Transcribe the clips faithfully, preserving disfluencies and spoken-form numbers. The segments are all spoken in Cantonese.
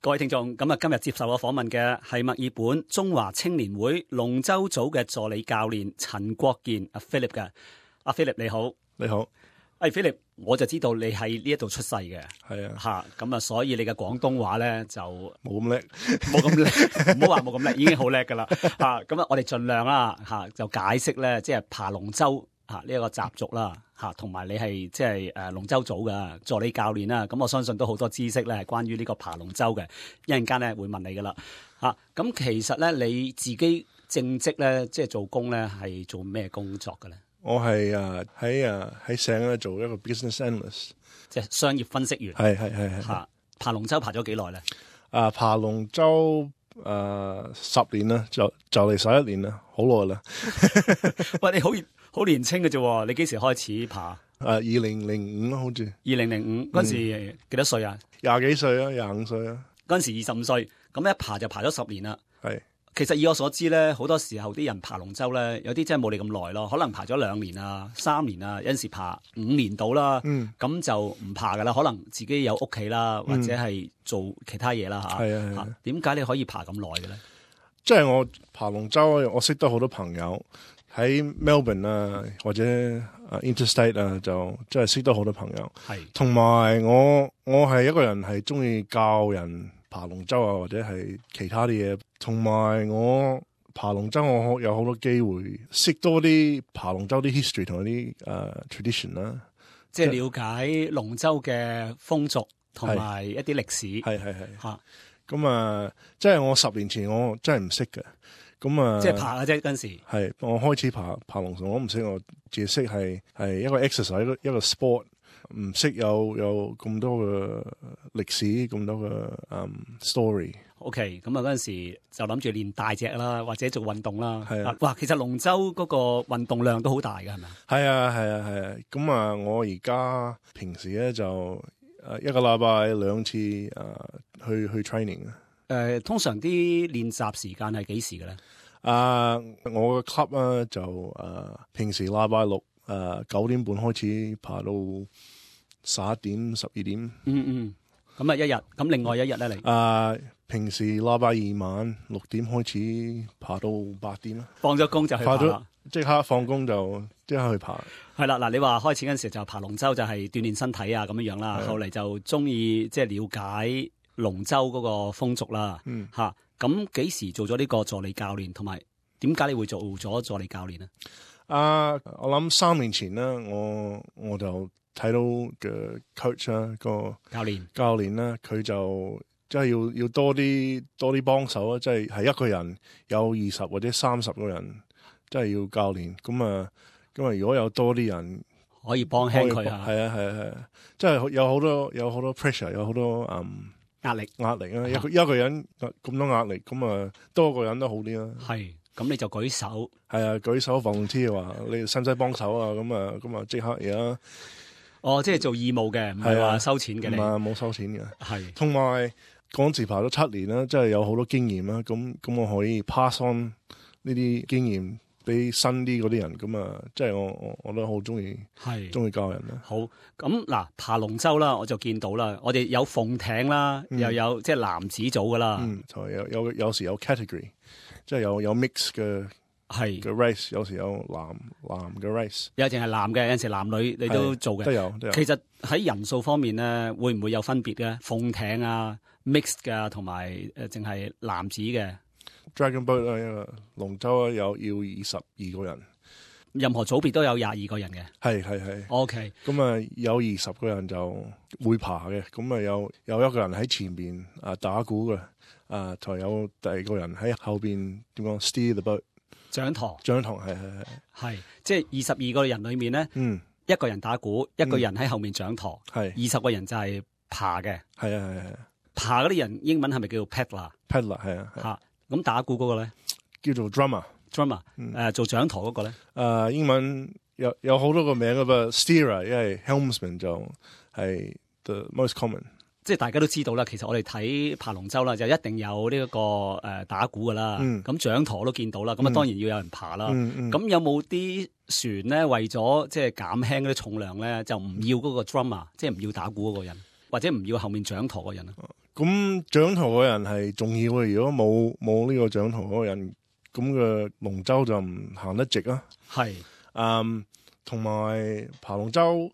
各位聽眾，咁啊，今日接受我訪問嘅係墨爾本中華青年會龍舟組嘅助理教練陳國健阿 Philip 嘅。阿 Philip 你好。你好。誒 Philip，我就知道你喺呢一度出世嘅。係啊。吓，咁啊，所以你嘅廣東話咧就冇咁叻，冇咁叻，唔好話冇咁叻，已經好叻噶啦。吓，咁啊，我哋盡量啦，吓就解釋咧，即係爬龍舟吓呢一個習俗啦。吓，同埋你係即係誒龍舟組嘅助理教練啦，咁我相信都好多知識咧係關於呢個爬龍舟嘅，一陣間咧會問你噶啦。吓，咁其實咧你自己正職咧即係做工咧係做咩工作嘅咧？我係誒喺誒喺省咧做一個 business analyst，即係商業分析員。係係係係。吓，爬龍舟爬咗幾耐咧？啊，爬龍舟誒十年啦，就就嚟十一年啦，好耐啦。喂，你好好年輕嘅啫，你幾時開始爬？誒，二零零五咯，好似。二零零五嗰陣時幾多歲啊？廿幾歲啊，廿五歲啊。嗰陣時二十五歲，咁一爬就爬咗十年啦。係。其實以我所知咧，好多時候啲人爬龍舟咧，有啲真係冇你咁耐咯，可能爬咗兩年啊、三年啊，有陣時爬五年到啦。嗯。咁就唔爬噶啦，可能自己有屋企啦，或者係做其他嘢啦吓。係啊係啊。點解你可以爬咁耐嘅咧？即係我爬龍舟，我識得好多朋友喺 Melbourne 啊，或者啊 Interstate 啊，就即係識得好多朋友。係。同埋我我係一個人係中意教人爬龍舟啊，或者係其他啲嘢。同埋我爬龍舟，我有好多機會識多啲爬龍舟啲 history 同啲誒 tradition 啦，即係了解龍舟嘅風俗同埋一啲歷史。係係係嚇。咁啊，即係我十年前我真係唔識嘅。咁啊，即係爬嘅啫嗰陣時。係我開始爬爬龍舟，我唔識，我只識係係一個 exercise，一個一個 sport。唔識有有咁多嘅歷史，咁多嘅嗯 story。OK， 咁啊嗰陣時就諗住練大隻啦，或者做運動啦。係啊，哇！其實龍舟嗰個運動量都好大㗎，係咪？係啊，係啊，係啊。咁啊，我而家平時咧就誒一個禮拜兩次誒、呃、去去 training 啊。誒，通常啲練習時間係幾時嘅咧？啊、呃，我嘅 club 啊就誒、呃、平時禮拜六誒九點半開始爬到十一點、十二點。嗯嗯，咁啊一日，咁另外一日咧你？啊、呃，平時禮拜二晚六點開始爬到八點啦。放咗工就去爬啦。即刻放工就即刻去爬。係啦，嗱，你話開始嗰陣時就爬龍舟就係鍛煉身體啊咁樣樣啦，後嚟就中意即係了解龍舟嗰個風俗啦。嗯，吓，咁幾時做咗呢個助理教練，同埋點解你會做咗助理教練呢？啊，我諗三年前啦，我我就睇到嘅 coach 啦，個教練教練啦，佢就即係要要多啲多啲幫手啊，即係係一個人有二十或者三十個人，即係要教練咁啊，咁啊，如果有多啲人可以幫輕佢啊，係啊係啊係啊，即係有好多有好多 pressure， 有好多嗯壓力壓力啊，一個一個人咁多壓力，咁啊多個人都好啲啦。係。咁你就舉手，係啊，舉手 volunteer 話你使唔使幫手啊？咁啊，咁啊即刻而家，哦，即係做義務嘅，唔係話收錢嘅，唔係冇收錢嘅。係，同埋嗰陣時爬咗七年啦，即係有好多經驗啦。咁咁我可以 pass on 呢啲經驗俾新啲嗰啲人。咁啊，即係我我我都好中意，係中意教人啦。好，咁嗱，爬龍舟啦，我就見到啦，我哋有鳳艇啦，嗯、又有即係男子組噶啦，嗯，有有有時有 category。即係有有 mix 嘅係嘅 race，有時有男男嘅 race，有淨係男嘅，有陣時男女你都做嘅，都有都有。其實喺人數方面咧，會唔會有分別嘅？鳳艇啊 ，mixed 嘅，同埋誒淨係男子嘅 Dragon Boat 啊，一個龍舟啊，有要二十二個人，任何組別都有廿二個人嘅，係係係。OK，咁啊有二十個人就會爬嘅，咁啊有有一個人喺前邊啊打鼓嘅。啊，仲有第二個人喺後邊點講 steer the boat 掌舵，掌舵係係係係，即係二十二個人裏面咧，嗯，一個人打鼓，一個人喺後面掌舵，係二十個人就係爬嘅，係啊係係爬嗰啲人英文係咪叫做 paddler？paddler 係啊吓，咁打鼓嗰個咧叫做 drummer，drummer， 誒做掌舵嗰個咧，誒英文有有好多個名噶噃 steerer，因為 helmsman 就係 the most common。即係大家都知道啦，其實我哋睇爬龍舟啦，就一定有呢、這、一個誒、呃、打鼓噶啦，咁、嗯、掌舵都見到啦，咁啊當然要有人爬啦。咁、嗯嗯、有冇啲船咧為咗即係減輕嗰啲重量咧，就唔要嗰個 drummer，即係唔要打鼓嗰個人，或者唔要後面掌舵嗰人啊？咁掌舵嘅人係重要嘅，如果冇冇呢個掌舵嗰個人，咁嘅龍舟就唔行得直啊。係，嗯，同埋爬龍舟，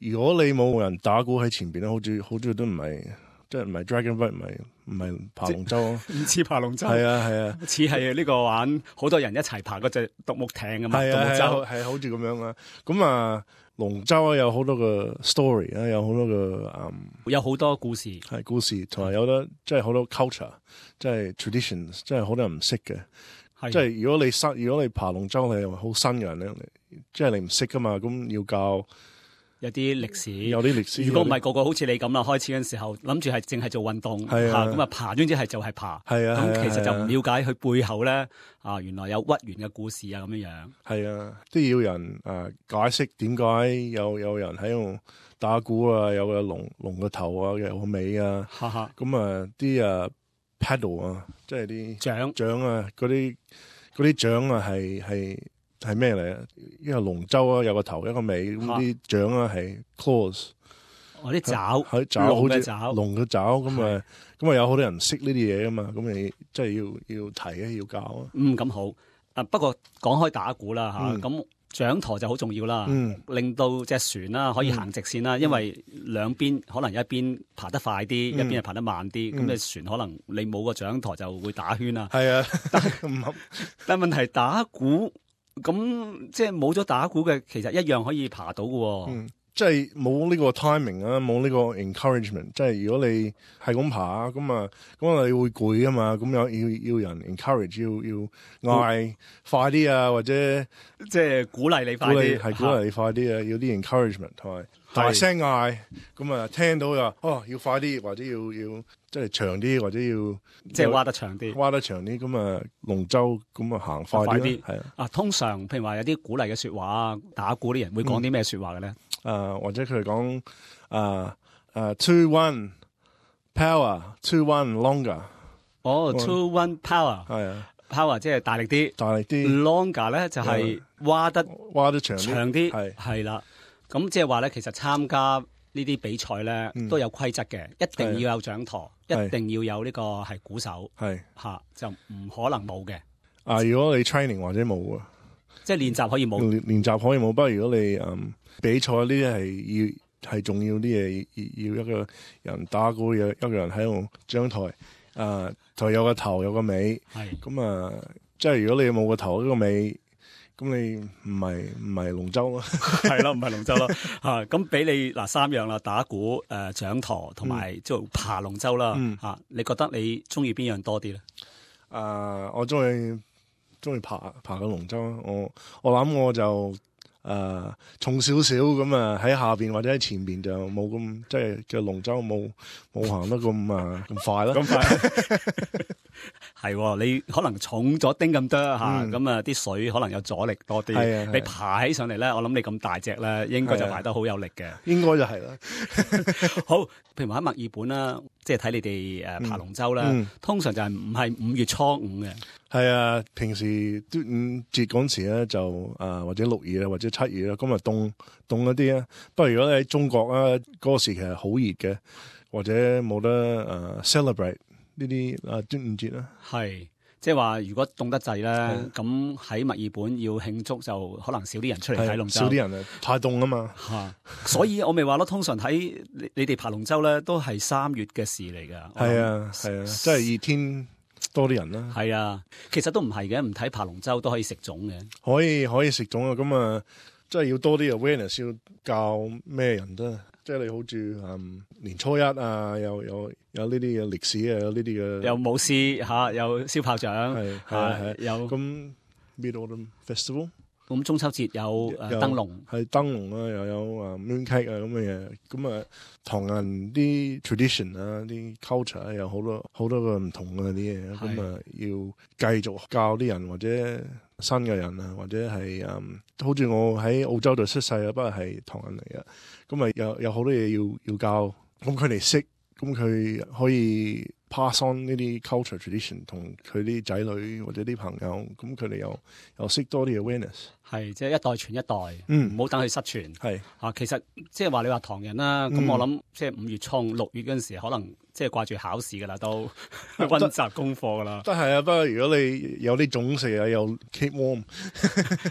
如果你冇人打鼓喺前邊咧，好似好似都唔係，即係唔係 Dragon Boat，唔係唔係爬龍舟啊，唔似爬龍舟，係啊係啊，似係呢個玩好多人一齊爬嗰隻獨木艇啊嘛，獨木舟係好似咁樣啊。咁啊，龍舟啊有好多個 story 啊，有好多個嗯，有好多故事，係故事，同埋有得即係好多 culture，即係 traditions，即係好多人唔識嘅。即係如果你新，如果你爬龍舟，你係好新嘅人咧，即係你唔識噶嘛，咁要教有啲歷史，有啲歷史。如果唔係個個好似你咁啦，開始嗰陣時候諗住係淨係做運動，嚇咁啊爬，總之係就係爬。係啊，咁其實就唔了解佢背後咧啊，原來有屈原嘅故事啊咁樣樣。係啊，都要人啊解釋點解有有人喺度打鼓啊，有個龍龍個頭啊，有個尾啊，咁啊啲啊。paddle 啊，即係啲槳槳啊，嗰啲嗰啲槳啊，係係係咩嚟啊？因為龍舟啊，有個頭一個尾，咁啲槳啊係 claws，哦啲爪，係爪，龍嘅爪，龍嘅爪，咁啊咁啊有好多人識呢啲嘢噶嘛，咁你即係要要提啊，要教啊。嗯，咁好。啊，不過講開打鼓啦吓，咁、嗯。掌舵就好重要啦，嗯、令到隻船啦可以行直線啦，嗯、因為兩邊可能一邊爬得快啲，嗯、一邊係爬得慢啲，咁、嗯、你船可能你冇個掌舵就會打圈啦。係啊，但但問題打鼓咁即係冇咗打鼓嘅，其實一樣可以爬到嘅。嗯即係冇呢個 timing 啊，冇呢個 encouragement。即係如果你係咁爬，咁啊，咁啊，你會攰噶嘛？咁有要要人 encourage，要要嗌快啲啊，或者即係鼓勵你快啲，係鼓勵你快啲啊，要啲 encouragement 同埋大聲嗌，咁啊聽到就哦要快啲，或者要要即係長啲，或者要即係挖得長啲，挖得長啲，咁啊龍舟咁啊行快啲，係啊。啊，通常譬如話有啲鼓勵嘅說話，打鼓啲人會講啲咩說話嘅咧？嗯誒、uh, 或者佢哋講誒誒 two one power two one longer 哦 two one power 係啊 power 即係大力啲大力啲 longer 咧就係挖得挖得長長啲係係啦。咁即係話咧，其實參加呢啲比賽咧、嗯、都有規則嘅，一定要有掌舵，一定要有呢個係鼓手係嚇，就唔可能冇嘅。啊，如果你 training 或者冇啊，即係練習可以冇練練習可以冇，不過如果你嗯。比賽呢啲係要係重要啲嘢，要一個人打鼓，有一個人喺度掌台，啊台有個頭有個尾，係咁啊，即係如果你冇個頭呢個尾，咁你唔係唔係龍舟咯，係咯唔係龍舟咯嚇，咁俾你嗱三樣啦，打鼓、誒掌舵同埋做爬龍舟啦嚇，你覺得你中意邊樣多啲咧？啊，我中意中意爬爬個龍舟，我我諗我就。誒、uh, 重少少咁啊，喺下邊或者喺前邊就冇咁，即係嘅龍舟冇冇行得咁啊咁快啦。咁快係你可能重咗丁咁多嚇，咁啊啲水可能有阻力多啲。啊、你爬起上嚟咧，我諗你咁大隻咧，應該就爬得好有力嘅。應該就係啦。好，譬如話喺墨爾本啦，即係睇你哋誒爬龍舟啦，嗯嗯、通常就係唔係五月初五嘅。係啊，平時端午節嗰時咧就啊或者六月啊或者七月啦，咁啊凍凍一啲啊。不過如果你喺中國啊嗰個時期係好熱嘅，或者冇得誒 celebrate 呢啲啊端午節啦。係，即係話如果凍得滯咧，咁喺墨爾本要慶祝就可能少啲人出嚟睇龍舟。少啲人啊，太凍啊嘛。吓，所以我咪話咯，通常睇你你哋爬龍舟咧都係三月嘅事嚟噶。係啊係啊，即係熱天。多啲人啦，係啊，其實都唔係嘅，唔睇爬龍舟都可以食粽嘅，可以可以食粽啊，咁啊，即係要多啲 awareness，要教咩人都，即係你好似嗯年初一啊，有有有呢啲嘅歷史啊，有呢啲嘅，有舞獅吓，有燒炮仗，係係有咁 Mid Autumn Festival。咁中秋節有誒燈籠，係燈籠啊，又有啊 mooncake 啊咁嘅嘢，咁啊唐人啲 tradition 啊，啲 culture 啊，有好多好多個唔同嘅啲嘢，咁啊要繼續教啲人或者新嘅人啊，或者係嗯，好似我喺澳洲度出世啊，不過係唐人嚟嘅，咁啊有有好多嘢要要教，咁佢哋識，咁佢可以 pass on 呢啲 culture tradition 同佢啲仔女或者啲朋友，咁佢哋又又識多啲 awareness。係，即係一代傳一代，嗯，唔好等佢失傳。係啊，其實即係話你話唐人啦，咁、嗯、我諗即係五月衝六月嗰陣時，可能即係掛住考試㗎啦，都溫習功課㗎啦。都係啊，不過如果你有啲種食啊，又 keep warm，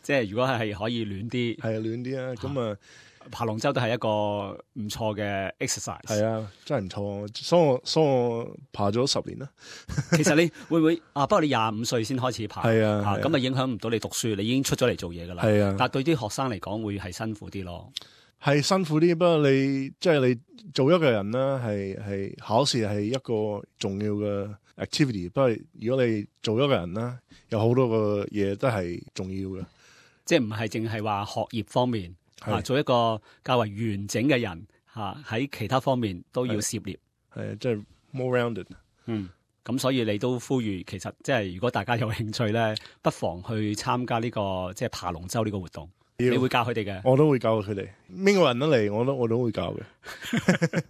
即係如果係可以暖啲，係啊暖啲啊，咁啊。爬龍舟都係一個唔錯嘅 exercise。係啊，真係唔錯。所以我所以我爬咗十年啦。其實你會唔會啊？不過你廿五歲先開始爬，係啊，咁啊影響唔到你讀書，你已經出咗嚟做嘢噶啦。係啊，但係對啲學生嚟講會係辛苦啲咯。係辛苦啲，不過你即係、就是、你做一個人啦，係係考試係一個重要嘅 activity。不過如果你做一個人啦，有好多個嘢都係重要嘅，即係唔係淨係話學業方面。啊，做一個較為完整嘅人，嚇喺其他方面都要涉獵，係即係 more rounded。嗯，咁所以你都呼籲，其實即係如果大家有興趣咧，不妨去參加呢、這個即係爬龍舟呢個活動。你會教佢哋嘅，我都會教佢哋。邊個人都嚟，我都我都會教嘅。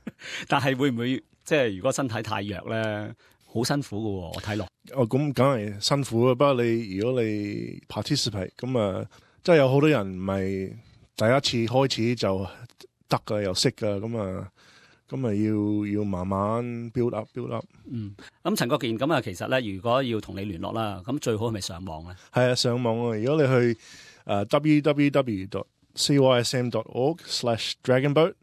但係會唔會即係如果身體太弱咧，好辛苦㗎喎？我睇落。哦，咁梗係辛苦啊！不過你如果你 participate，咁啊，即係有好多人唔係。第一次開始就得噶，又識噶，咁啊，咁啊要要慢慢 build up build up。嗯，咁陳國健咁啊，其實咧，如果要同你聯絡啦，咁最好係咪上網咧？係啊，上網啊！如果你去誒 w w w dot c y s m dot org slash dragon boat，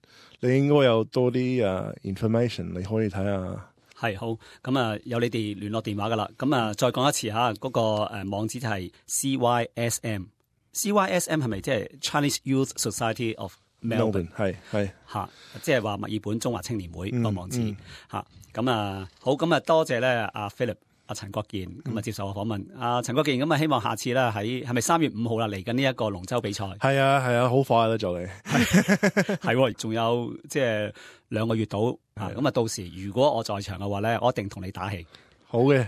你應該有多啲誒 information， 你可以睇下。係好，咁啊有你哋聯絡電話噶啦，咁啊再講一次吓，嗰、那個誒網址就係 C Y S M。C Y S M 係咪即係 Chinese Youth Society of Melbourne？ 係係嚇，即係話墨爾本中華青年會個網址嚇。咁、嗯、啊好，咁啊多謝咧阿 Philip 阿陳國健咁啊、嗯、接受我訪問。阿、啊、陳國健咁啊希望下次咧喺係咪三月五號啦嚟緊呢一個龍舟比賽？係啊係啊，好快啦就嚟。係仲有即係兩個月到啊。咁啊到時如果我在場嘅話咧，我一定同你打氣。好嘅。